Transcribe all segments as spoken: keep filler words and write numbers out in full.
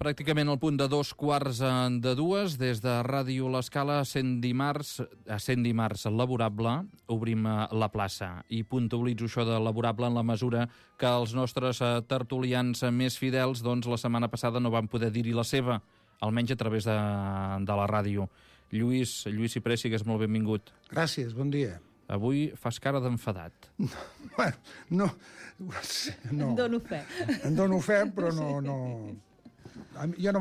Pràcticament al punt de dos quarts de dues, des de Ràdio L'Escala, cent dimarts, a cent dimarts laborable, obrim la plaça. I puntualitzo això de laborable en la mesura que els nostres tertulians més fidels, doncs, la setmana passada no van poder dir-hi la seva, almenys a través de, de la ràdio. Lluís, Lluís Cipré, sigues molt benvingut. Gràcies, bon dia. Avui fas cara d'enfadat. No, bueno, no, no. En dono fe. En dono fe, però no... no... Jo no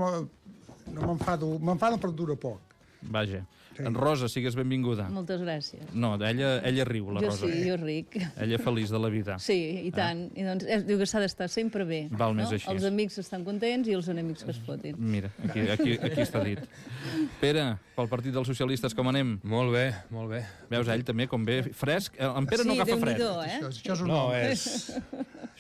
m'enfado, m'enfado però dura poc. Vaja. Sí. En Rosa, sigues benvinguda. Moltes gràcies. No, ella, ella riu, la jo Rosa. Jo sí, jo ric. Ella feliç de la vida. Sí, i tant. Eh? I doncs, es diu que s'ha d'estar sempre bé. Val més no? així. Els amics estan contents i els enemics que es fotin. Mira, aquí, aquí, aquí està dit. Pere, pel Partit dels Socialistes, com anem? Molt bé, molt bé. Veus, ell també, com ve fresc. En Pere sí, no agafa fred. Eh? Això, això és un no, home. és...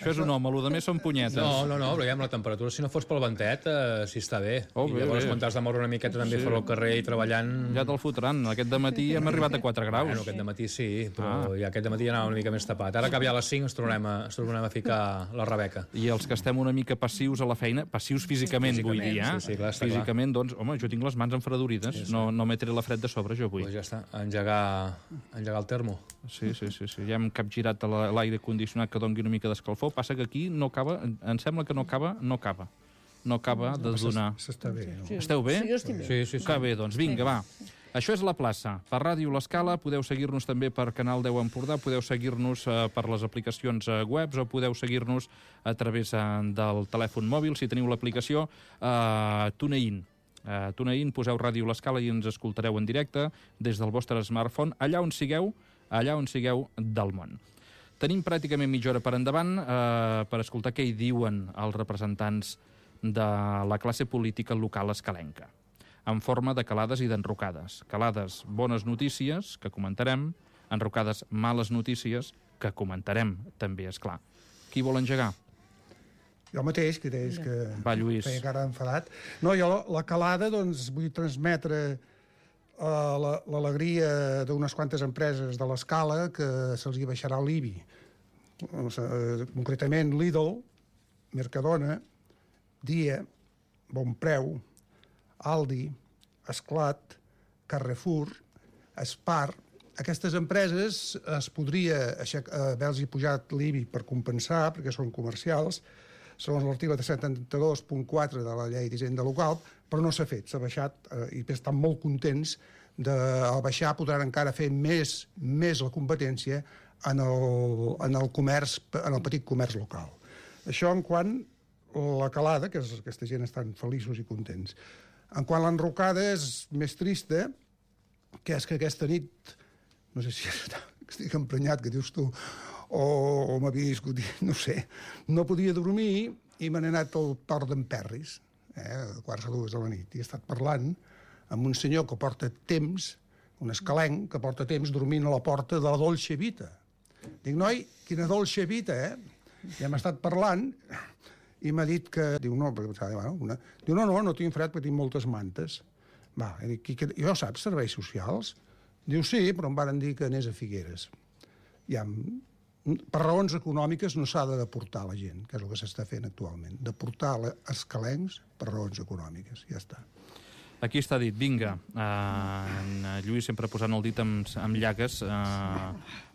Això és un home, el més són punyetes. No, no, no, però ja amb la temperatura, si no fos pel ventet, eh, sí està bé. Oh, I bé, llavors, bé. quan t'has de moure una miqueta també Sí. sí. al carrer i treballant... Ja te'l fotran. Aquest dematí hem arribat a quatre graus. Bueno, aquest dematí sí, però Ah. ja aquest dematí ja anava una mica més tapat. Ara que ja a les cinc ens tornem a, ens tornem a ficar la Rebeca. I els que estem una mica passius a la feina, passius físicament, Físicament, vull dir, eh? sí, sí, clar, està físicament, doncs, home, jo tinc les mans enfredorides, sí, sí. no, no m'he tret la fred de sobre, jo avui. Pues ja està, engegar, engegar el termo. Sí, sí, sí, sí. Ja hem capgirat a la- l'aire condicionat que doni una mica d'escalfor, passa que aquí no acaba, em sembla que no acaba, no acaba. No acaba de donar. S'està bé. No? Sí. Esteu bé? Sí, jo estic bé. Sí, sí, sí. Que bé, doncs vinga, va. Això és La Plaça. Per Ràdio L'Escala podeu seguir-nos també per Canal deu Empordà, podeu seguir-nos eh, per les aplicacions eh, webs o podeu seguir-nos a través eh, del telèfon mòbil, si teniu l'aplicació eh, TuneIn. Eh, TuneIn, poseu Ràdio L'Escala i ens escoltareu en directe des del vostre smartphone, allà on sigueu, allà on sigueu del món. Tenim pràcticament mitja hora per endavant eh, per escoltar què hi diuen els representants de la classe política local escalenca, en forma de calades i d'enrocades. Calades, bones notícies, que comentarem, enrocades, males notícies, que comentarem, també, és clar. Qui vol engegar? Jo mateix, que deies que Va, Lluís. feia cara enfadat. No, jo la, la calada, doncs, vull transmetre uh, la- l'alegria d'unes quantes empreses de l'Escala que se'ls hi baixarà l'I B I. Uh, concretament Lidl, Mercadona, Dia, Bonpreu, Aldi, Esclat, Carrefour, Spar. Aquestes empreses es podria aixec- eh, haver-los pujat l'I B I per compensar, perquè són comercials, segons l'article setanta-dos punt quatre de la llei d'Hisenda Local, però no s'ha fet, s'ha baixat eh, i estan molt contents de, al baixar podran encara fer més, més la competència en el, en el comerç, en el petit comerç local. Això en quant la calada, que és, aquesta gent estan feliços i contents. En quant l'enrocada és més trista, que és que aquesta nit, no sé si estic emprenyat, que dius tu, o, o m'havia discutit, no sé, no podia dormir i me n'he anat al Port d'en Perris, eh, a quarts de dues de la nit, i he estat parlant amb un senyor que porta temps, un escalenc, que porta temps dormint a la porta de la Dolce Vita. Dic, noi, quina Dolce Vita, eh? I hem estat parlant i m'ha dit que... Diu, no, perquè pensava, bueno, una... Diu, no, no, no tinc fred perquè tinc moltes mantes. Va, i dic, que... jo saps, serveis socials? Diu, sí, però em varen dir que anés a Figueres. Ja, per raons econòmiques no s'ha de deportar la gent, que és el que s'està fent actualment. Deportar escalencs per raons econòmiques, ja està. Aquí està dit, vinga. Uh, en Lluís sempre posant el dit amb, amb llagues, uh,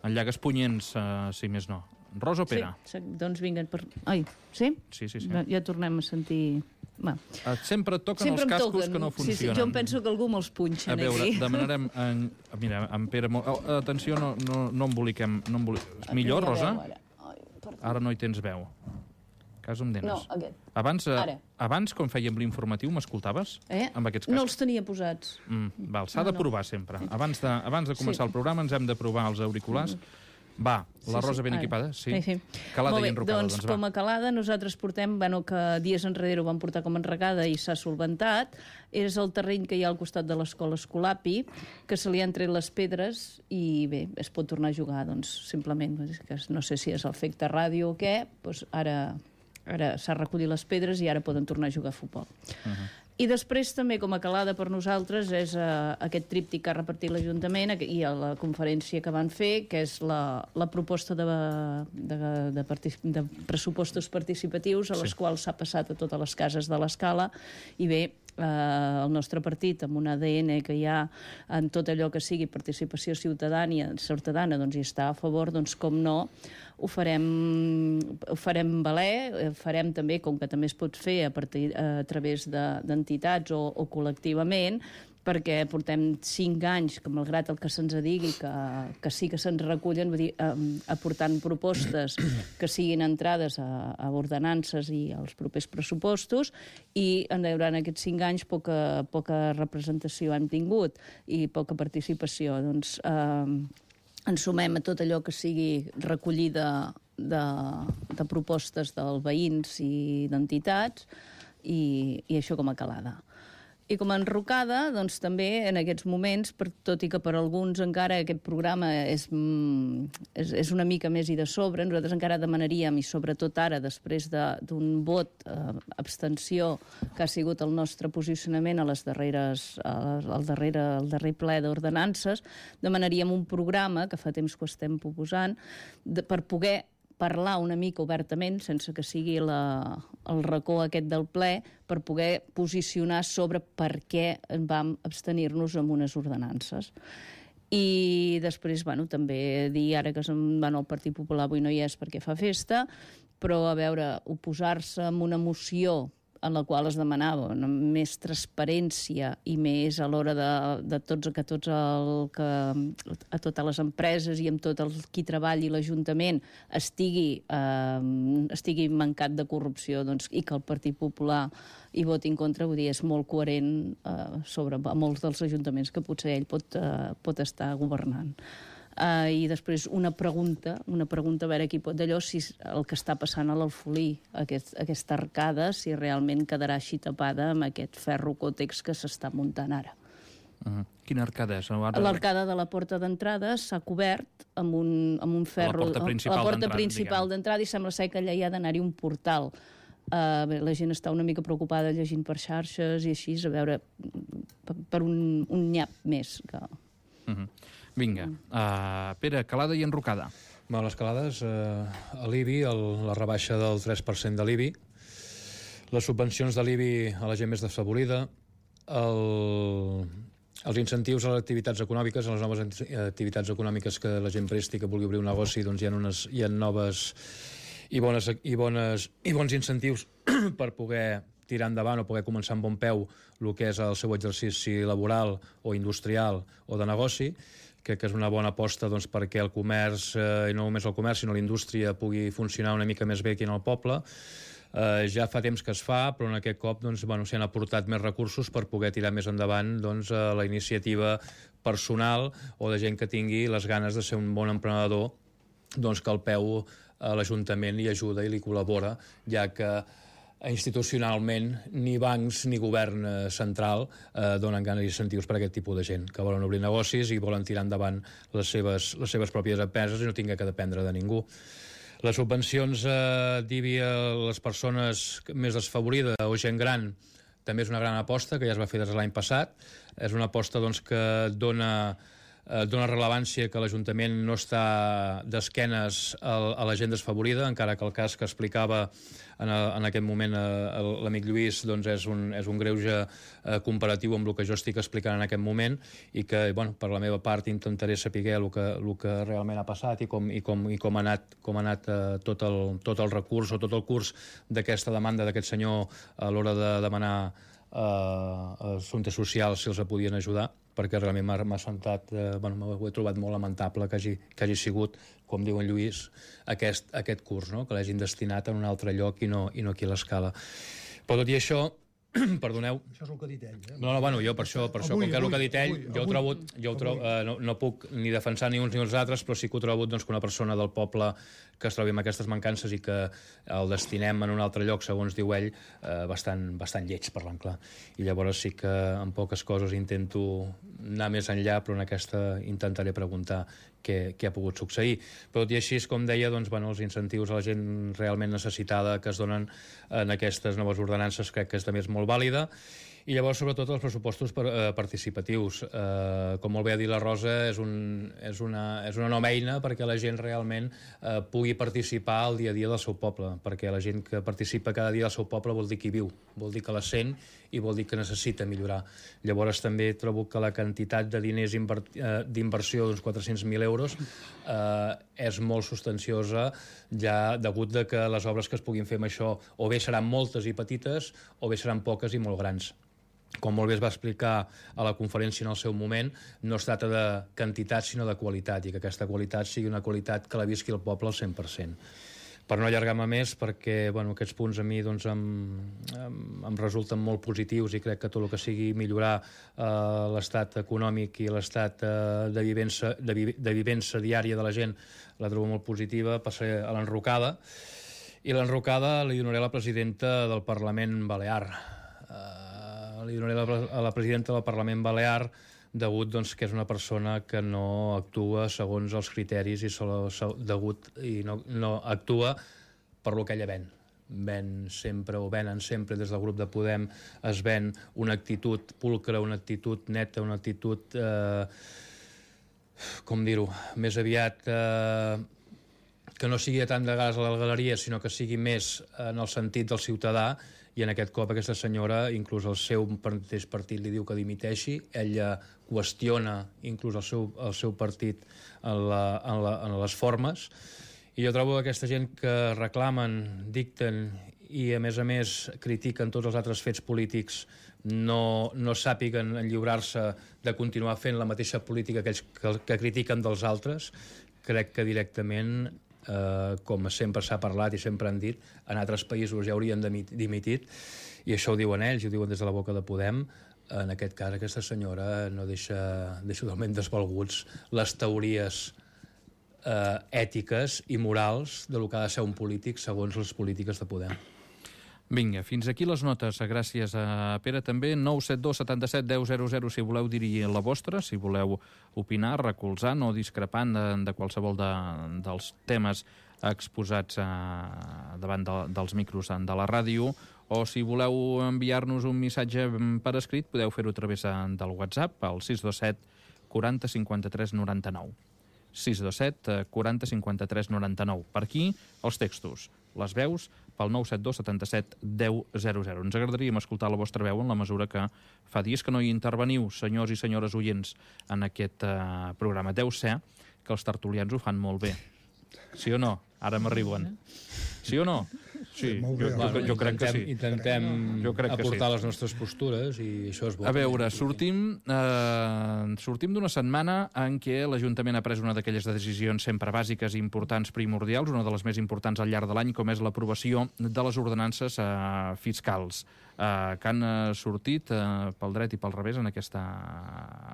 amb llagues punyents, uh, si més no. Rosa o Pere? Sí, doncs vinga. Per... Ai, sí? Sí, sí, sí. Ja, ja tornem a sentir... Va. Uh, sempre et toquen Sempre els em cascos toquen. que no funcionen. Sí, sí, jo em penso que algú me'ls punxa A veure, aquí. demanarem... En, mira, en Pere... Oh, atenció, no, no, no emboliquem... No emboli... Millor, Rosa? Ara. Ai, perdó. Ara no hi tens veu. Cas em denes. No, aquest. Abans, eh, Ara. abans, quan fèiem l'informatiu, m'escoltaves? Eh? Amb aquests cascos? No els tenia posats. Mm, val, s'ha No, de no. provar sempre. Abans de, abans de començar Sí. el programa ens hem de provar els auriculars. Va, la Rosa ben ara. equipada? Sí. Sí, sí. Calada Molt bé, i enrocada, doncs, doncs com va. a calada nosaltres portem, bueno, que dies enrere ho vam portar com a enregada i s'ha solventat, és el terreny que hi ha al costat de l'escola Escolapi, que se li han tret les pedres i bé, es pot tornar a jugar, doncs, simplement, és que no sé si és efecte ràdio o què, doncs ara, ara s'ha recollit les pedres i ara poden tornar a jugar a futbol. Uh -huh. I després també com a calada per nosaltres és uh, aquest tríptic que ha repartit l'Ajuntament i a la conferència que van fer, que és la, la proposta de, de, de, partic de pressupostos participatius a les sí. quals s'ha passat a totes les cases de l'Escala i bé, eh, el nostre partit amb un A D N que hi ha en tot allò que sigui participació ciutadana, ciutadana doncs hi està a favor, doncs com no, ho farem, ho farem valer, farem també, com que també es pot fer a, partir, a través d'entitats de, o, o col·lectivament, perquè portem cinc anys, que malgrat el que se'ns digui, que, que sí que se'ns recullen, vull dir, eh, aportant propostes que siguin entrades a, a ordenances i als propers pressupostos, i durant aquests cinc anys poca, poca representació hem tingut i poca participació. Doncs eh, ens sumem a tot allò que sigui recollida de, de propostes dels veïns i d'entitats i, i això com a calada. I com a enrocada, doncs també en aquests moments, per, tot i que per alguns encara aquest programa és, és, és una mica més i de sobre, nosaltres encara demanaríem, i sobretot ara, després d'un de, vot eh, abstenció que ha sigut el nostre posicionament a les darreres, al darrere, al darrer ple d'ordenances, demanaríem un programa, que fa temps que ho estem proposant, de, per poder parlar una mica obertament, sense que sigui la, el racó aquest del ple, per poder posicionar sobre per què vam abstenir-nos amb unes ordenances. I després, bueno, també dir ara que bueno, el Partit Popular avui no hi és perquè fa festa, però a veure, oposar-se a una moció en la qual es demanava no, més transparència i més a l'hora de, de tots, que tots el, que, a totes les empreses i amb tot el qui treballi l'Ajuntament estigui, eh, estigui mancat de corrupció, doncs, i que el Partit Popular hi voti en contra, vull dir, és molt coherent eh, sobre molts dels ajuntaments que potser ell pot, eh, pot estar governant. Uh, I després una pregunta, una pregunta a veure qui pot d'allò, si el que està passant a l'Alfolí, aquest, aquesta arcada, si realment quedarà així tapada amb aquest ferro còtex que s'està muntant ara. Uh -huh. Quina arcada és? Ara... L'arcada de la porta d'entrada s'ha cobert amb un, amb un ferro... La porta principal, la porta principal d'entrada, i sembla ser que allà hi ha d'anar-hi un portal. Uh, bé, la gent està una mica preocupada llegint per xarxes i així, a veure, per, per un, un nyap més que... Uh -huh. Vinga. Uh, Pere, calada i enrocada. Bueno, les calades, eh, a l'I B I, el, la rebaixa del tres per cent de l'I B I, les subvencions de l'I B I a la gent més desfavorida, el, els incentius a les activitats econòmiques, a les noves activitats econòmiques que la gent presti, que vulgui obrir un negoci, doncs hi ha, unes, hi ha noves i, bones, i, bones, i bons incentius per poder tirar endavant o poder començar amb bon peu el que és el seu exercici laboral o industrial o de negoci, crec que és una bona aposta doncs, perquè el comerç, eh, i no només el comerç, sinó la indústria pugui funcionar una mica més bé aquí en el poble. Eh, ja fa temps que es fa, però en aquest cop doncs, bueno, s'hi han aportat més recursos per poder tirar més endavant doncs, eh, la iniciativa personal o de gent que tingui les ganes de ser un bon emprenedor, doncs, que el peu a l'Ajuntament li ajuda i li col·labora, ja que institucionalment ni bancs ni govern central eh, donen ganes i incentius per a aquest tipus de gent que volen obrir negocis i volen tirar endavant les seves, les seves pròpies empreses i no tinguin que dependre de ningú. Les subvencions eh, d'I B I a les persones més desfavorides o gent gran també és una gran aposta que ja es va fer des de l'any passat. És una aposta doncs, que dona eh, dona rellevància que l'Ajuntament no està d'esquenes a, a la gent desfavorida, encara que el cas que explicava en, a, en aquest moment eh, l'amic Lluís doncs és, un, és un greuge eh, comparatiu amb el que jo estic explicant en aquest moment i que, bueno, per la meva part intentaré saber el que, el que realment ha passat i com, i com, i com ha anat, com ha anat eh, tot, el, tot el recurs o tot el curs d'aquesta demanda d'aquest senyor a l'hora de demanar eh, assumptes socials si els podien ajudar, perquè realment m'ha sentat, eh, bueno, m'ho he trobat molt lamentable que hagi, que hagi sigut, com diu en Lluís, aquest, aquest curs, no? Que l'hagin destinat en un altre lloc i no, i no aquí a l'Escala. Però tot i això, perdoneu... Això és el que ha dit ell, eh? No, no, bueno, jo per això, per això avui, com que és el que ha dit ell, avui, jo ho trobo, jo ho trobo eh, no, no puc ni defensar ni uns ni els altres, però sí que ho trobo doncs, que una persona del poble que es trobi amb aquestes mancances i que el destinem en un altre lloc, segons diu ell, eh, bastant, bastant lleig, parlant clar. I llavors sí que en poques coses intento anar més enllà, però en aquesta intentaré preguntar què, què ha pogut succeir. Però tot i així, com deia, doncs, bueno, els incentius a la gent realment necessitada que es donen en aquestes noves ordenances crec que és també és molt vàlida. I llavors, sobretot, els pressupostos per, eh, participatius. Eh, com molt bé ha dit la Rosa, és, un, és, una, és una nova eina perquè la gent realment eh, pugui participar al dia a dia del seu poble, perquè la gent que participa cada dia al seu poble vol dir que hi viu, vol dir que la sent i vol dir que necessita millorar. Llavors també trobo que la quantitat de diners d'inversió d'uns quatre-cents mil euros eh, és molt substanciosa, ja degut de que les obres que es puguin fer amb això o bé seran moltes i petites o bé seran poques i molt grans. Com molt bé es va explicar a la conferència en el seu moment, no es tracta de quantitat sinó de qualitat, i que aquesta qualitat sigui una qualitat que la visqui el poble al cent per cent. Per no allargar-me més, perquè bueno, aquests punts a mi doncs, em, em, em resulten molt positius i crec que tot el que sigui millorar eh, l'estat econòmic i l'estat eh, de, vivença, de, vi, de vivença diària de la gent la trobo molt positiva. Passaré a l'enrocada, i l'enrocada li donaré a la presidenta del Parlament Balear. Eh, li donaré a la, a la presidenta del Parlament Balear degut doncs, que és una persona que no actua segons els criteris i, solo, degut, i no, no actua per lo que ella ven. Ven sempre, o venen sempre des del grup de Podem, es ven una actitud pulcra, una actitud neta, una actitud, eh, com dir-ho, més aviat eh, que no sigui tant de gas a la galeria, sinó que sigui més en el sentit del ciutadà. I en aquest cop aquesta senyora, inclús el seu mateix partit li diu que dimiteixi, ella qüestiona inclús el seu, el seu partit en, la, en, la, en les formes, i jo trobo que aquesta gent que reclamen, dicten i a més a més critiquen tots els altres fets polítics no, no sàpiguen enlliurar-se de continuar fent la mateixa política que, ells, que, que critiquen dels altres. Crec que directament, Uh, com sempre s'ha parlat i sempre han dit, en altres països ja haurien dimitit, i això ho diuen ells, ho diuen des de la boca de Podem. En aquest cas aquesta senyora no deixa, deixa totalment desvalguts les teories uh, ètiques i morals de lo que ha de ser un polític segons les polítiques de Podem. Vinga, fins aquí les notes. Gràcies a Pere també. nou set dos setanta-set deu zero zero si voleu dir la vostra, si voleu opinar, recolzant o discrepant de, de qualsevol de, dels temes exposats a, davant de, dels micros de la ràdio, o si voleu enviar-nos un missatge per escrit podeu fer-ho a través del WhatsApp al sis dos set quaranta cinquanta-tres noranta-nou. sis dos set quaranta cinquanta-tres noranta-nou. Per aquí, els textos, les veus, pel nou set dos setanta-set deu zero zero. Ens agradaríem escoltar la vostra veu en la mesura que fa dies que no hi interveniu, senyors i senyores oients, en aquest uh, programa. Deu ser que els tertulians ho fan molt bé. Sí o no? Ara m'arriben. Sí o no? Sí, jo, jo, jo, jo crec que sí. Intentem jo crec que aportar sí. les nostres postures i això és bo. A veure, sortim, eh, sortim d'una setmana en què l'Ajuntament ha pres una d'aquelles decisions sempre bàsiques, importants, primordials, una de les més importants al llarg de l'any, com és l'aprovació de les ordenances eh, fiscals, eh, que han eh, sortit eh, pel dret i pel revés en aquesta,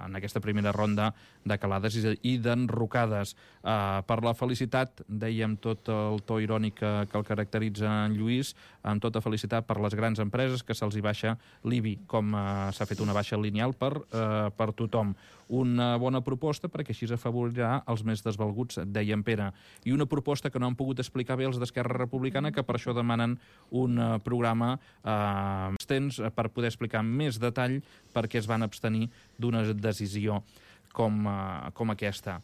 en aquesta primera ronda de calades i d'enrocades. Eh, per la felicitat, dèiem tot el to irònic que, que el caracteritza en Lluís, amb tota felicitat per les grans empreses que se'ls hi baixa l'I B I, com eh, s'ha fet una baixa lineal per, eh, per tothom. Una bona proposta perquè així afavorirà els més desvalguts, deia en Pere. I una proposta que no han pogut explicar bé els d'Esquerra Republicana, que per això demanen un uh, programa uh, extens per poder explicar amb més detall per què es van abstenir d'una decisió com, uh, com aquesta.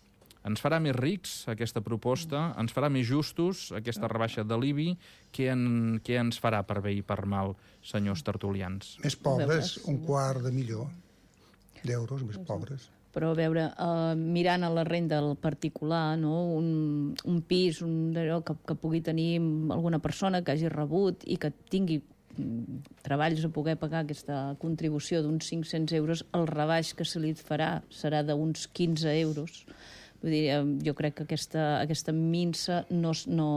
Ens farà més rics aquesta proposta? Ens farà més justos aquesta rebaixa de l'I B I? Què, en, què ens farà per bé i per mal, senyors tertulians? Més pobres, un quart de milió d'euros, més pobres. Però a veure, uh, mirant a la renda del particular, no? un, un pis un, que, que pugui tenir alguna persona que hagi rebut i que tingui treballs a poder pagar aquesta contribució d'uns cinc-cents euros, el rebaix que se li farà serà d'uns quinze euros. Vull dir, jo crec que aquesta, aquesta minsa no, no,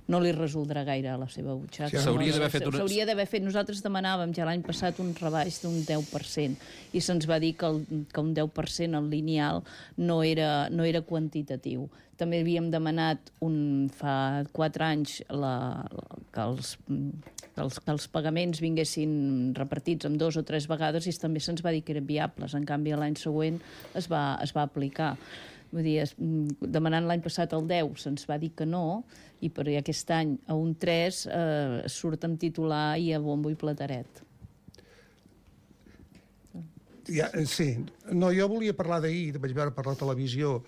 no li resoldrà gaire a la seva butxaca. Sí, s'hauria d'haver fet... Una... S'hauria d'haver fet... Nosaltres demanàvem ja l'any passat un rebaix d'un deu per cent i se'ns va dir que, el, que un deu per cent al lineal no era, no era quantitatiu. També havíem demanat un, fa quatre anys la, que, els, que, els, que els pagaments vinguessin repartits en dos o tres vegades i també se'ns va dir que eren viables. En canvi, l'any següent es va, es va aplicar. Vull dir, es, demanant l'any passat el deu se'ns va dir que no, i per aquest any a un tres eh, surt amb titular i a bombo i plateret. Ja, sí. No, jo volia parlar d'ahir, vaig veure per la televisió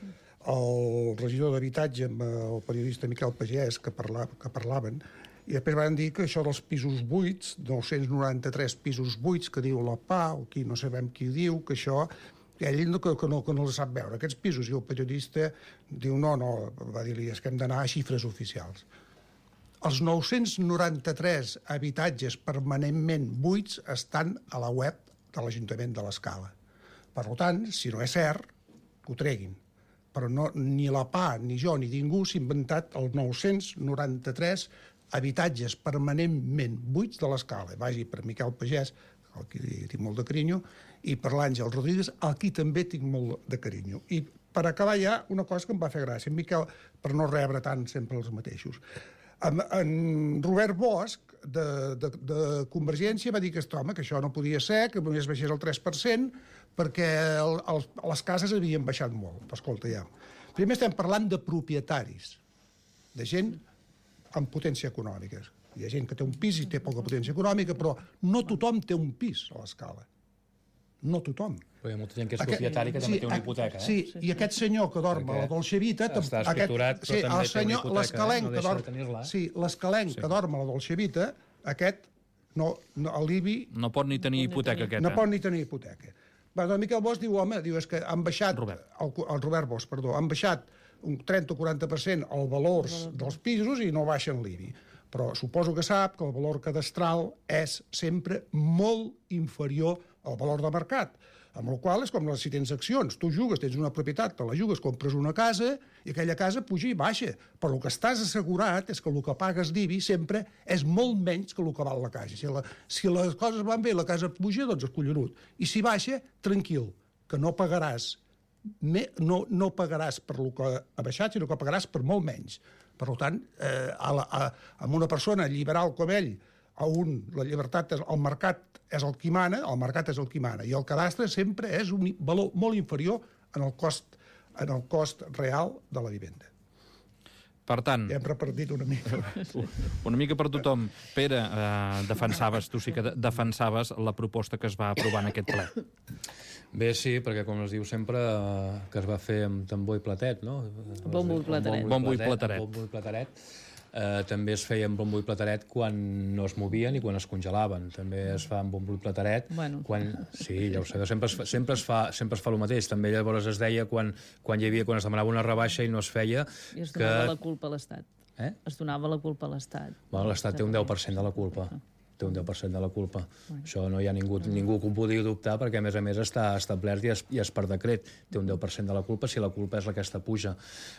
el regidor d'Habitatge amb el periodista Miquel Pagès, que, parla, que parlaven, i després van dir que això dels pisos buits, nou-cents noranta-tres pisos buits, que diu la P A, o qui no sabem qui diu, que això, ell no, que, que, no, que no els sap veure. Aquests pisos, i el periodista diu, no, no, va dir-li, és que hem d'anar a xifres oficials. Els nou-cents noranta-tres habitatges permanentment buits estan a la web de l'Ajuntament de l'Escala. Per tant, si no és cert, que ho treguin. Però no, ni la P A, ni jo, ni ningú s'ha inventat els nou-cents noranta-tres habitatges permanentment buits de l'Escala. Vagi per Miquel Pagès, al qui tinc molt de carinyo, i per l'Àngel Rodríguez, al qui també tinc molt de carinyo. I per acabar ja, una cosa que em va fer gràcia, Miquel, per no rebre tant sempre els mateixos. En, en Robert Bosch, de, de, de Convergència, va dir que, home, que això no podia ser, que només baixés el tres per cent, perquè el, el, les cases havien baixat molt. Escolta, ja. Primer estem parlant de propietaris, de gent amb potència econòmica. Hi ha gent que té un pis i té poca potència econòmica, però no tothom té un pis a l'Escala. No tothom. Però hi ha molta gent que és propietari que també té una hipoteca. Eh? Sí, i aquest senyor que dorm a la Dolce Vita... Està escriturat, però també té una hipoteca. No deixa de tenir-la. Sí, l'escalenc que dorm a la Dolce Vita, aquest, l'Ibi... No pot ni tenir hipoteca, aquest. No pot ni tenir hipoteca. Va, doncs Miquel Bosch diu, home, diu, és que han baixat... Robert. El, el Robert Bosch, perdó, han baixat un trenta o quaranta per cent el valor dels pisos i no baixen l'Ibi. Però suposo que sap que el valor cadastral és sempre molt inferior al valor de mercat. Amb la qual és com si tens accions. Tu jugues, tens una propietat, te la jugues, compres una casa i aquella casa puja i baixa. Però el que estàs assegurat és que el que pagues d'Ibi sempre és molt menys que el que val la casa. Si, la, si les coses van bé, la casa puja, doncs és collonut. I si baixa, tranquil, que no pagaràs no, no pagaràs per el que ha baixat, sinó que pagaràs per molt menys. Per tant, eh, a la, a, amb una persona liberal com ell, a un, la llibertat, és, el mercat és el que mana, el mercat és el que mana, i el cadastre sempre és un valor molt inferior en el cost, en el cost real de la vivenda. Per tant... Ja hem repartit una mica. Una mica per tothom. Pere, eh, defensaves, tu sí que defensaves la proposta que es va aprovar en aquest ple. Bé, sí, perquè com es diu sempre, eh, que es va fer amb tambor i platet, no? Bombo i plateret. Bombo i plateret. Bombo i plateret. Eh, també es feia amb bombo i plateret quan no es movien i quan es congelaven. També es fa amb bombo i plateret. Bueno. Quan... Sí, ja ho sé, sempre es, fa, sempre, es fa, sempre es fa el mateix. També llavors es deia quan, quan hi havia, quan es demanava una rebaixa i no es feia... I es donava que... la culpa a l'Estat. Eh? Es donava la culpa a l'Estat. Bueno, l'Estat té un deu per cent de la culpa. Té un deu per cent de la culpa. Bueno. Això no hi ha ningú, ningú que ho pugui dubtar perquè, a més a més, està establert i és, i és per decret. Té un deu per cent de la culpa si la culpa és aquesta puja.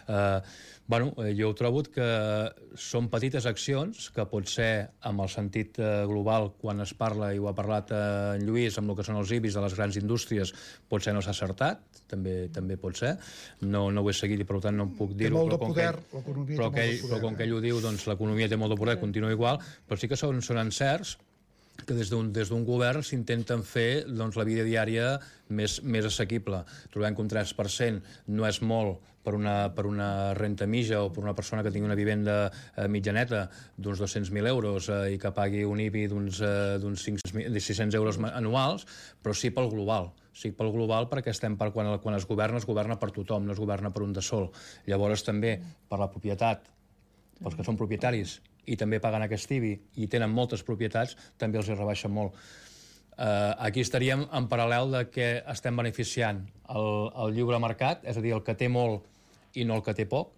Eh, bueno, jo ho trobo que són petites accions que pot ser, amb el sentit eh, global, quan es parla, i ho ha parlat eh, en Lluís, amb el que són els I B I S de les grans indústries, potser no s'ha acertat, també també pot ser. No, no ho he seguit i, per tant, no puc dir-ho. Té molt de poder, l'economia té molt de poder. Però com que ell ho diu, doncs l'economia té molt de poder, continua igual, però sí que són, són encerts que des d'un des d'un govern s'intenten fer doncs, la vida diària més, més assequible. Trobem que un tres per cent no és molt per una, per una renta mitja o per una persona que tingui una vivenda eh, mitjaneta d'uns dos-cents mil euros eh, i que pagui un I B I d'uns eh, sis-cents euros anuals, però sí pel global. Sí, pel global, perquè estem per quan, quan es governa, es governa per tothom, no es governa per un de sol. Llavors també per la propietat, pels que són propietaris, i també paguen aquest I B I i tenen moltes propietats, també els hi rebaixa molt. Uh, aquí estaríem en paral·lel de que estem beneficiant el, el lliure mercat, és a dir, el que té molt i no el que té poc,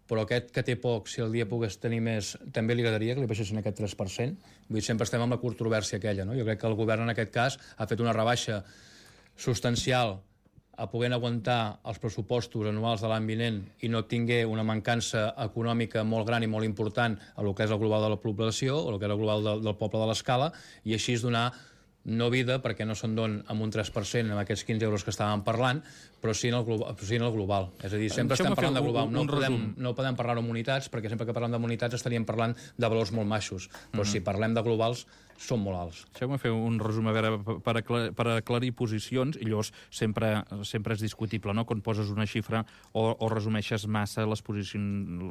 però aquest que té poc, si el dia pogués tenir més, també li agradaria que li baixessin aquest tres per cent. Vull dir, sempre estem amb la controvèrsia aquella, no? Jo crec que el govern en aquest cas ha fet una rebaixa substancial a poder aguantar els pressupostos anuals de l'any vinent i no tingué una mancança econòmica molt gran i molt important a lo que és el global de la població o el que és el global del, del poble de l'Escala, i així és donar no vida, perquè no se'n don amb un tres per cent amb aquests quinze euros que estàvem parlant, però sí en el global. Sí en el global. És a dir, sempre estem parlant de global. No podem, no podem parlar d'unitats, perquè sempre que parlem d'unitats estaríem parlant de valors molt maixos. Però mm-hmm. si parlem de globals, són molt alts. Deixeu-me fer un resum, a veure, per, aclar, per aclarir posicions, i llavors sempre, sempre és discutible, no?, quan poses una xifra o, o resumeixes massa les, posicion,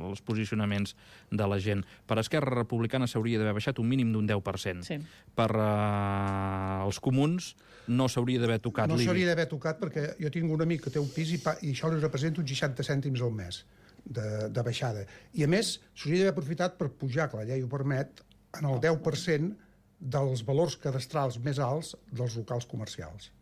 els posicionaments de la gent. Per Esquerra Republicana s'hauria d'haver baixat un mínim d'un deu per cent. Sí. Per uh, els comuns no s'hauria d'haver tocat No l'I B I. s'hauria d'haver tocat perquè jo tinc un amic que té un pis i, pa, i això li representa uns seixanta cèntims al mes de, de baixada. I a més, s'hauria d'haver aprofitat per pujar, que la llei ho permet, en el deu per cent dels valors cadastrals més alts dels locals comercials,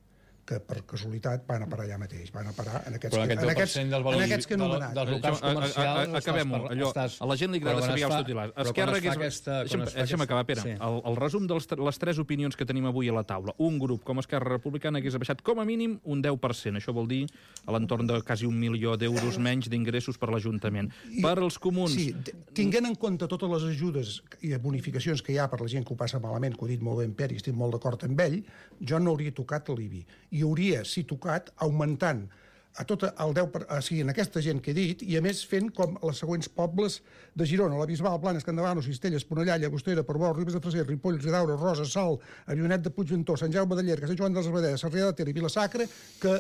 que per casualitat van a parar allà mateix, van a parar en aquests, Però que, aquest en deu per aquests, cent del valor en aquests que he del- anomenat. dels locals comercials... Acabem-ho. Allò, a la gent li agrada saber els titulars. Esquerra hagués... Aquesta, Deixa'm, deixa'm acabar, Pere. Sí. El, el resum de les, les tres opinions que tenim avui a la taula. Un grup com Esquerra Republicana hagués baixat com a mínim un deu per cent. Això vol dir a l'entorn de quasi un milió d'euros menys d'ingressos per l'Ajuntament. Per als comuns... Sí, tinguent en compte totes les ajudes i bonificacions que hi ha per la gent que ho passa malament, que ho ha dit molt bé en Pere, i estic molt d'acord amb ell, jo no hauria tocat l'I B I. I hauria, si tocat, augmentant a tot el deu per cent, o sigui, en aquesta gent que he dit, i a més fent com els següents pobles de Girona: la Bisbal, Blanes, Campdevànol, Cistella, Esponellà, Llagostera, Portbou, Ribes de Freser, Ripoll, Ridaura, Rosa, Sal, Avionet de Puigventós, Sant Jaume de Llierca, Sant Joan dels Abadeses, Sarrià de Ter i Vila-sacra, que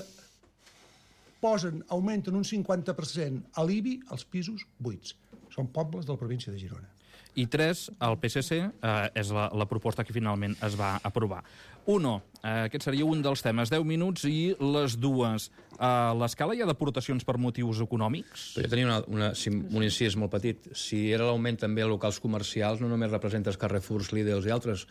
posen, augmenten un cinquanta per cent a l'I B I als pisos buits. Són pobles de la província de Girona. I tres, el P S C, eh, és la, la proposta que finalment es va aprovar. Uno, eh, aquest seria un dels temes. deu minuts i les dues. A l'escala hi ha deportacions per motius econòmics? Però jo tenia una, una, si, un incís molt petit. Si era l'augment també a locals comercials, no només representa els Carrefours, Lidls i altres,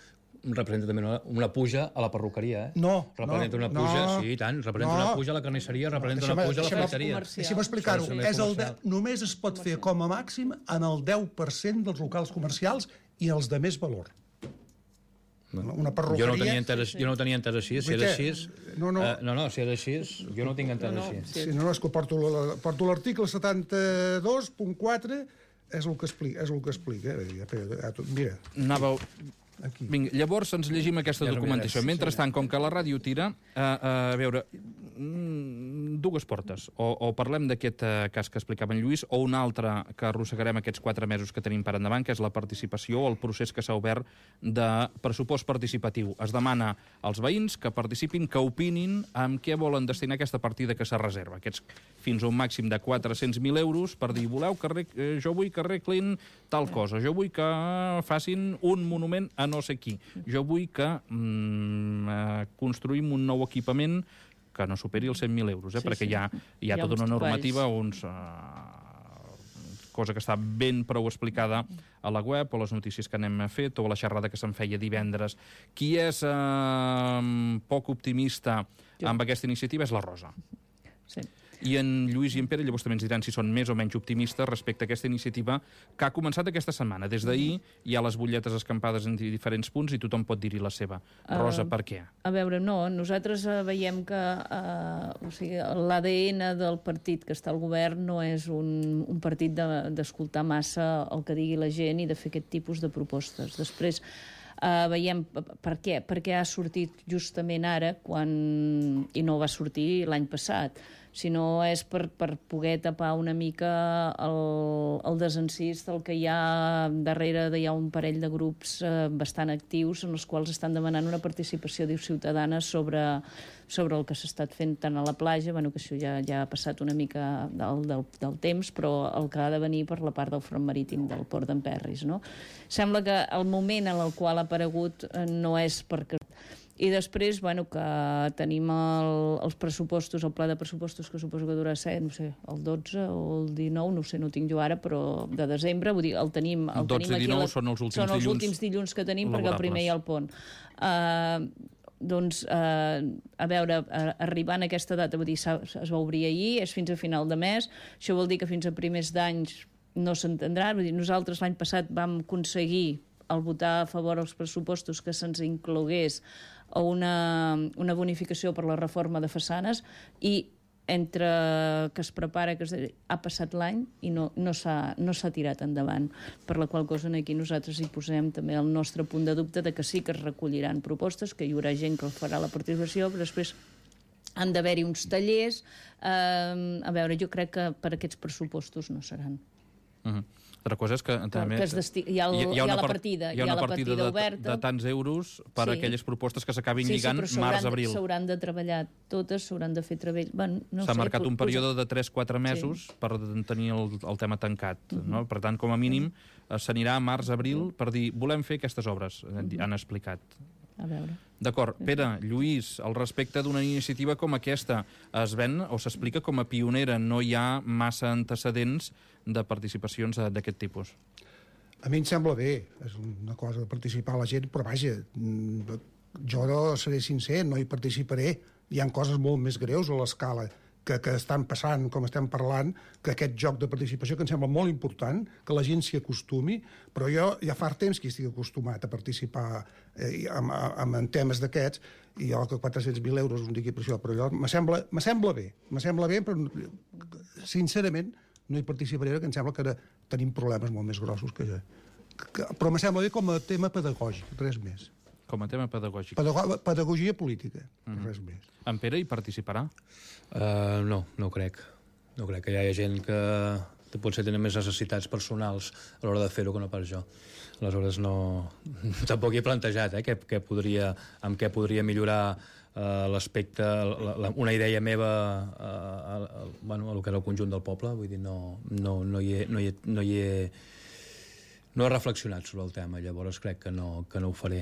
representa també una, una puja a la perruqueria, eh? No, representa no, una puja, no, sí, i tant, representa no. una puja a la carnisseria, representa Deixa'm- una puja a la deixa'm- ferreteria. Deixa'm explicar-ho. Sí, sí. És el de, només es pot fer com a màxim en el deu per cent dels locals comercials i els de més valor. Una perruqueria... Jo no tenia entès, jo no tenia entès així, si Vull era dir, així... no, no. Eh, no, no, si era així, jo no ho tinc entès No, no, així. sí. Sí, no, no, és que porto la- porto l'article setanta-dos punt quatre, és el que explica. És el que explica. eh? Mira, Anàveu... aquí. Vinga, llavors ens llegim aquesta Ja no documentació. miraràs. Mentrestant, com que la ràdio tira, eh, eh, a veure, mm, dues portes. O, o parlem d'aquest eh, cas que explicava en Lluís, o un altre que arrossegarem aquests quatre mesos que tenim per endavant, que és la participació o el procés que s'ha obert de pressupost participatiu. Es demana als veïns que participin, que opinin amb què volen destinar aquesta partida que se reserva. Aquests fins a un màxim de quatre-cents mil euros per dir, voleu que arreg... eh, jo vull que arreglin tal cosa, jo vull que facin un monument a no sé qui, jo vull que mm, eh, construïm un nou equipament que no superi els cent mil euros, eh, Sí, perquè sí. hi ha, hi ha Hi ha tota uns una normativa, topalls. uns... Eh, cosa que està ben prou explicada a la web, o les notícies que n'hem fet, o a la xerrada que se'n feia divendres. Qui és eh, poc optimista Jo. amb aquesta iniciativa és la Rosa. Sí. I en Lluís i en Pere llavors també ens diran si són més o menys optimistes respecte a aquesta iniciativa que ha començat aquesta setmana. Des d'ahir hi ha les butlletes escampades en diferents punts i tothom pot dir-hi la seva. Rosa, Uh, per què? A veure, no, nosaltres eh, veiem que eh, o sigui, l'A D N del partit que està al govern no és un, un partit de- d'escoltar de, massa el que digui la gent i de fer aquest tipus de propostes. Després eh, veiem p- per què, perquè ha sortit justament ara quan, i no va sortir l'any passat, sinó és per, per poder tapar una mica el, el desencís del que hi ha darrere, de, hi ha un parell de grups eh, bastant actius en els quals estan demanant una participació, diu, ciutadana sobre, sobre el que s'ha estat fent tant a la platja, bueno, que això ja, ja ha passat una mica del, del, del temps, però el que ha de venir per la part del front marítim del port d'Emperris, no? Sembla que el moment en el qual ha aparegut eh, no és perquè... I després, bueno, que tenim el, els pressupostos, el pla de pressupostos que suposo que durarà ser, no sé, el dotze o el dinou, no sé, no tinc jo ara, però de desembre, vull dir, el tenim, el dotze tenim aquí... dinou la, són els últims són els dilluns últims dilluns que tenim, perquè el primer laborables. hi ha el pont. Uh, doncs, uh, a veure, uh, arribant a aquesta data, vull dir, s'ha- es va obrir ahir, és fins a final de mes, això vol dir que fins a primers d'anys no s'entendrà, vull dir, nosaltres l'any passat vam aconseguir al votar a favor els pressupostos que se'ns inclogués a una, una bonificació per la reforma de façanes i entre que es prepara, que es, ha passat l'any i no, no s'ha no s'ha tirat endavant, per la qual cosa aquí nosaltres hi posem també el nostre punt de dubte de que sí que es recolliran propostes, que hi haurà gent que farà la participació, però després han d'haver-hi uns tallers. Eh, a veure, jo crec que per aquests pressupostos no seran. Uh-huh. Altra cosa és que també... Que es desti... hi, ha el, hi, ha hi ha la partida, hi ha una partida, partida de, oberta. de tants euros per sí. aquelles propostes que s'acabin sí, lligant sí, març-abril. S'hauran de treballar totes, s'hauran de fer treball... Bueno, no S'ha sé, marcat un període de tres quatre mesos sí. per tenir el, el tema tancat. Uh-huh. No? Per tant, com a mínim, uh-huh. s'anirà a març-abril per dir volem fer aquestes obres, uh-huh. han explicat. A veure. D'acord. Pere, Lluís, al respecte d'una iniciativa com aquesta, es ven o s'explica com a pionera, no hi ha massa antecedents de participacions d'aquest tipus? A mi em sembla bé, és una cosa de participar la gent, però vaja, jo seré sincer, no hi participaré. Hi ha coses molt més greus a l'escala que, que estan passant, com estem parlant, que aquest joc de participació, que em sembla molt important, que la gent s'hi acostumi, però jo ja fa temps que estic acostumat a participar eh, en, en, en temes d'aquests, i jo que quatre-cents mil euros un digui per això, però jo me sembla, me sembla bé, me sembla bé, però sincerament no hi participaré, que em sembla que ara tenim problemes molt més grossos que ja. Que, però me sembla bé com a tema pedagògic, res més. Com a tema pedagògic. Pedago pedagogia política, mm-hmm. res més. En Pere hi participarà? Uh, no, no crec. No crec que hi hagi gent que potser tenen més necessitats personals a l'hora de fer-ho que no pas jo. Aleshores, no... tampoc hi he plantejat, eh, què, què podria, amb què podria millorar uh, l'aspecte, una idea meva uh, a, a, bueno, a lo que era el conjunt del poble. Vull dir, no, no, no, hi he, no, hi he, no hi he... No he reflexionat sobre el tema, llavors crec que no, que no ho faré.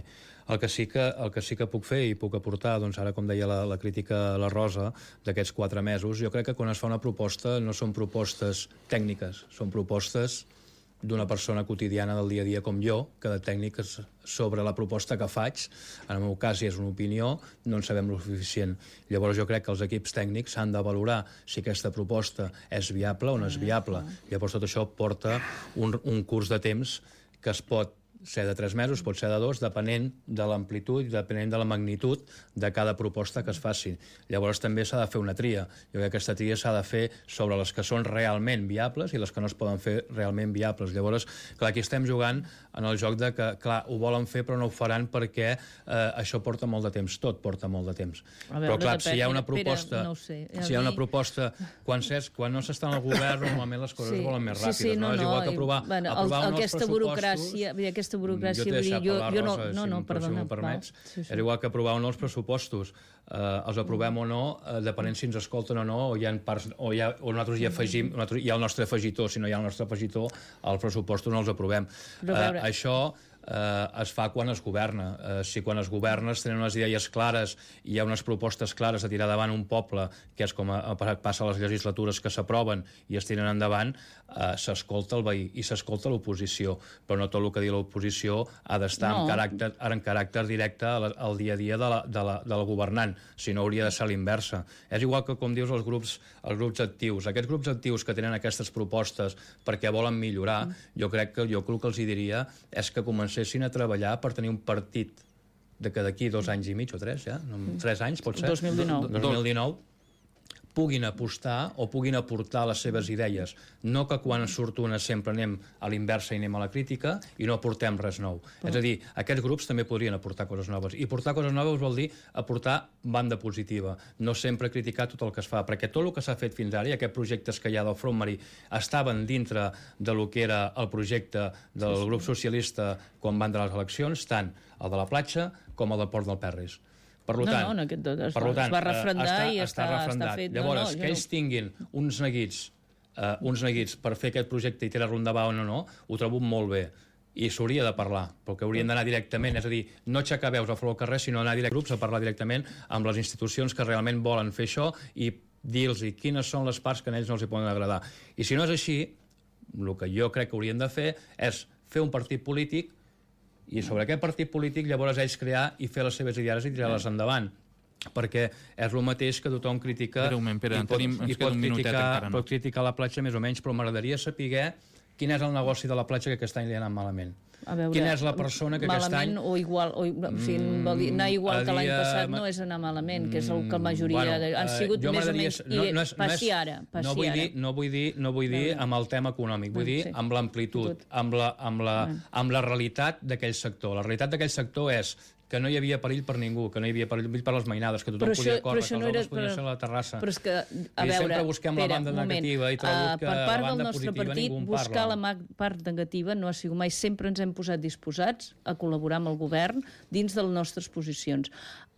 El que, sí que, el que sí que puc fer i puc aportar, doncs ara, com deia la, la crítica a la Rosa, d'aquests quatre mesos, jo crec que quan es fa una proposta no són propostes tècniques, són propostes d'una persona quotidiana del dia a dia com jo, que de tècniques sobre la proposta que faig, en el meu cas, si és una opinió, no en sabem lo suficient. Llavors jo crec que els equips tècnics han de valorar si aquesta proposta és viable o no és viable. Llavors tot això porta un, un curs de temps que es pot ser de tres mesos, pot ser de dos, depenent de l'amplitud i depenent de la magnitud de cada proposta que es faci. Llavors també s'ha de fer una tria. Jo crec que aquesta tria s'ha de fer sobre les que són realment viables i les que no es poden fer realment viables. Llavors, clar, aquí estem jugant en el joc de que, clar, ho volen fer però no ho faran perquè eh, això porta molt de temps. Tot porta molt de temps. Veure, però, clar, depèn, si hi ha una proposta... Pere, no sé, si hi ha una proposta... Quan, quan no s'està en el govern, normalment les coses sí, volen més sí, ràpides. sí, no, no? És igual no, que aprovar, bueno, aprovar el, uns aquesta burocràcia, aquesta burocràcia, jo t'he deixat jo, parlar, jo no, Rosa, no, no, si, perdona, si m'ho permets. Sí, sí. Era igual que aprovar o no els pressupostos. Eh, els aprovem o no, eh, depenent si ens escolten o no, o hi ha parts, o, hi ha, o nosaltres hi afegim, nosaltres, hi ha el nostre afegitor, si no hi ha el nostre afegitor, els pressupostos no els aprovem. Eh, això eh, es fa quan es governa. Eh, si quan es governa es tenen unes idees clares i hi ha unes propostes clares a tirar davant un poble, que és com a, a, passa a les legislatures que s'aproven i es tiren endavant, eh, s'escolta el veí i s'escolta l'oposició, però no tot el que diu l'oposició ha d'estar no. en, caràcter, en caràcter directe al, al dia a dia de la, de la, del governant, si no hauria de ser l'inversa. És igual que, com dius, els grups, els grups actius. Aquests grups actius que tenen aquestes propostes perquè volen millorar, mm. jo crec que jo el que els diria és que comencessin a treballar per tenir un partit de que d'aquí dos anys i mig o tres, ja? Mm. Tres anys, pot ser? dos mil dinou. dos mil dinou puguin apostar o puguin aportar les seves idees. No que quan surt una sempre anem a l'inversa i anem a la crítica i no aportem res nou. Però... És a dir, aquests grups també podrien aportar coses noves. I portar coses noves vol dir aportar banda positiva, no sempre criticar tot el que es fa, perquè tot el que s'ha fet fins ara i aquests projectes que hi ha del Front Marí estaven dintre de lo que era el projecte del grup socialista quan van de les eleccions, tant el de la platja com el del Port del Perris. Per tant, no, no, aquest es, per tant, es va refrendar està, i està, està, està fet. Llavors, no, no, que ells no... tinguin uns neguits, uh, uns neguits per fer aquest projecte i tirar-lo endavant o no, ho trobo molt bé. I s'hauria de parlar, perquè haurien d'anar directament, és a dir, no aixecar veus a flor al carrer, sinó anar a grups a parlar directament amb les institucions que realment volen fer això i dir-los quines són les parts que a ells no els hi poden agradar. I si no és així, el que jo crec que haurien de fer és fer un partit polític i sobre aquest partit polític llavors ells crear i fer les seves idees i tirar-les endavant, perquè és el mateix que tothom critica Pere, un moment, Pere, i pot, tenim, i pot, criticar, no. pot criticar la platja més o menys, però m'agradaria saber quin és el negoci de la platja que aquest any li ha anat malament. A veure, quina és la persona que aquest any... Malament o igual, o, o sigui, mm, anar igual que l'any passat no és anar malament, que és el que la majoria bueno, de, han sigut uh, més o menys... I no, no és, passi ara, passi no vull ara. dir, no vull dir, no vull dir amb el tema econòmic, vull dir sí. amb l'amplitud, amb, la, amb, la, amb la realitat d'aquell sector. La realitat d'aquell sector és que no hi havia perill per ningú, que no hi havia perill per les mainades, que tothom Però podia això- córrer, però que això els no era- homes podien però- ser a la terrassa. Però és que, a I veure, sempre busquem la Pere, banda un moment. negativa i trobo Uh, que per la part del banda nostre positiva partit, ningú en buscar parla. la ma- part negativa no ha sigut mai. Sempre ens hem posat disposats a col·laborar amb el govern dins de les nostres posicions.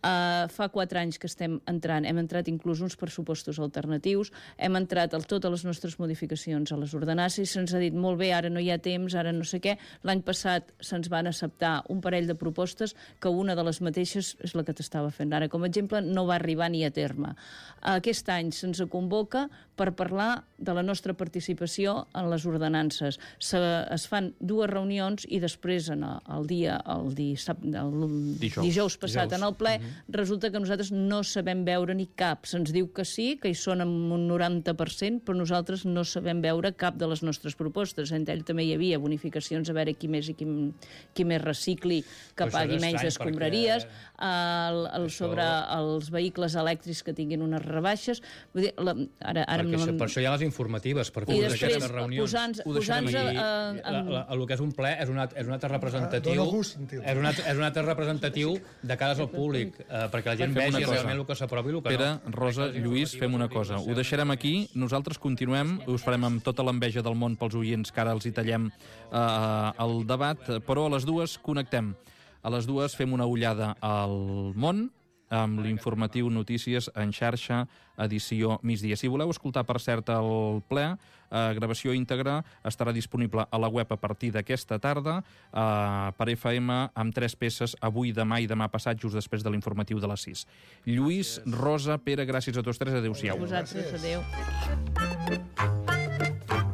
Uh, fa quatre anys que estem entrant, hem entrat inclús uns pressupostos alternatius, hem entrat a totes les nostres modificacions a les ordenances i se'ns ha dit molt bé, ara no hi ha temps, ara no sé què. L'any passat se'ns van acceptar un parell de propostes que una de les mateixes és la que t'estava fent ara. Com a exemple, no va arribar ni a terme. Aquest any se'ns convoca per parlar de la nostra participació en les ordenances. Se, es fan dues reunions i després, en el, el dia, el, dissab, el Dijous. dijous passat, Dijous. en el ple, resulta que nosaltres no sabem veure ni cap. Se'ns diu que sí, que hi són amb un noranta per cent, però nosaltres no sabem veure cap de les nostres propostes. Entre ell també hi havia bonificacions a veure qui més i qui, qui més recicli, que Però això pagui és menys estrany, escombraries, perquè el, el, això- sobre els vehicles elèctrics que tinguin unes rebaixes. Vull dir, la, ara, ara Perquè no això, me'n- per això hi ha les informatives, per I fer després, aquestes reunions. posant-nos Ho deixarem posant aquí. a, I a, la, la, el que és un ple és un, act- és un acte representatiu, Dóna gust sentir-ho. és un, acte, és un acte representatiu de cares al públic, eh, perquè la gent Fem una vegi cosa. realment el que s'aprovi i el que Pere, no. Rosa, Lluís, fem una cosa. Ho deixarem aquí, nosaltres continuem, us farem amb tota l'enveja del món pels oients, que ara els hi tallem eh, el debat, però a les dues connectem. A les dues fem una ullada al món, amb l'informatiu Notícies en xarxa, edició migdia. Si voleu escoltar, per cert, el ple, eh, gravació íntegra, estarà disponible a la web a partir d'aquesta tarda, eh, per F M, amb tres peces, avui, demà i demà passat, just després de l'informatiu de les sis. Lluís, Rosa, Pere, gràcies a tots tres, adéu-siau. vosaltres, adéu.